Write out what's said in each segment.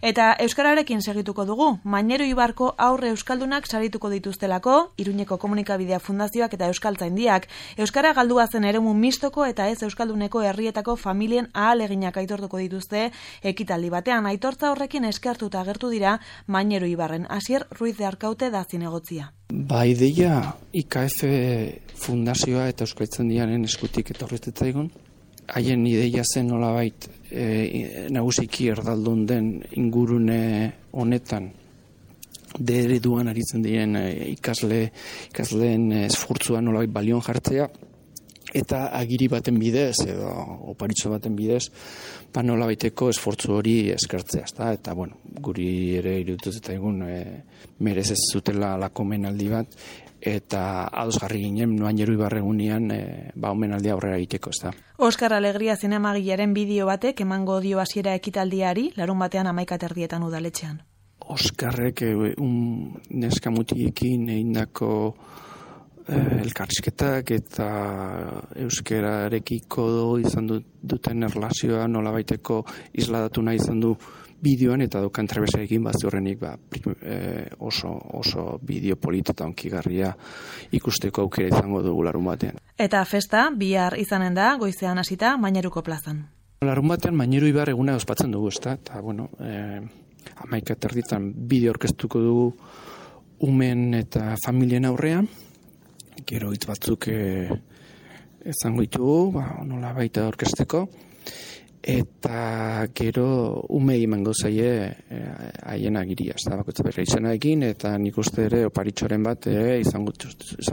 Eta euskararekin segituko dugu, Mainero Ibarko aurre euskaldunak sarituko dituztelako, Iruñeko Komunikabidea Fundazioak eta Euskaltzaindiak, euskara galdua zen eremu mistoko eta ez euskalduneko herrietako familien ahaleginak aitortuko dituzte ekitaldi batean. Aitortza horrekin eskertuta agertu dira Mainero Ibarren. Asier Ruiz de Arkaute da zinegotzia. Ideia IKF Fundazioa eta Euskaltzaindiaren eskutik etorritzaigun. Haien ideia zen nolabait nagusiki erdaldun den ingurune honetan ereduan aritzen diren ikasleen esfortzua nolabait balion jartzea eta agiri baten bidez edo oparitxo baten bidez nolabaiteko esfortzu hori eskertzea, eta bueno, guri ere iruditu zitzaigun merez ez zutela lako omenaldi bat eta ados jarri ginen Mainero Ibarregunean omenaldia aurrera egiteko, Oskar Alegria zinemagilaren bideo batek emango dio hasiera ekitaldiari, larunbatean 11:30 udaletxean. Oskarrek neska mutiekin egindako elkarrizketak eta euskararekiko izan duten erlazioa nolabaiteko isladatu nahi izan du bideoan eta dokan trebesarekin horrenik oso bideo polita eta onkigarria ikusteko aukera izango dugu larun batean. Eta festa bihar izanen da, goizean hasita Maineruko plazan. Larun batean Mainero Ibar eguna ospatzen dugu, eta bueno, 11:30 bideo orkestuko dugu umen eta familien aurrean, gero hitz batzuk izango ditugu, nola baita orkesteko, eta gero umei emango zaie haien agiria, bakoitza bere izenarekin, eta nik uste ere oparitxoren bat izango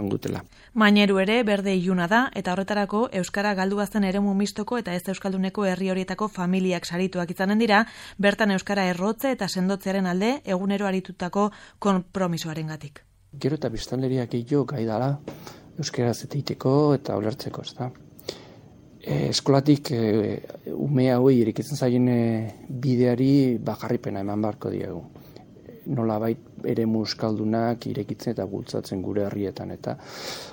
dutela. Maineru ere berde iluna da, eta horretarako euskara galdu zen eremu mistoko eta ez euskalduneko herri horietako familiak sarituak izanen dira, bertan euskara errotze eta sendotzearen alde egunero aritutako konpromisoarengatik. Gero eta biztanleriak gehiago gai dala euskaraz egiteko eta ulertzeko, Eskolatik ume hauei irekitzen zaien bideari jarraipena eman beharko diegu. Nolabait eremu euskaldunak irekitzen eta bultzatzen gure herrietan, eta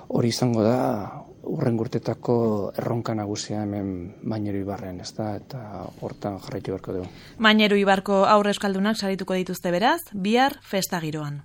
hori izango da hurrengo urtetako erronka nagusia hemen Mainero Ibarren, eta hortan jarraitu beharko dugu. Mainero Ibarko aurre euskaldunak sarituko dituzte beraz, bihar festa giroan.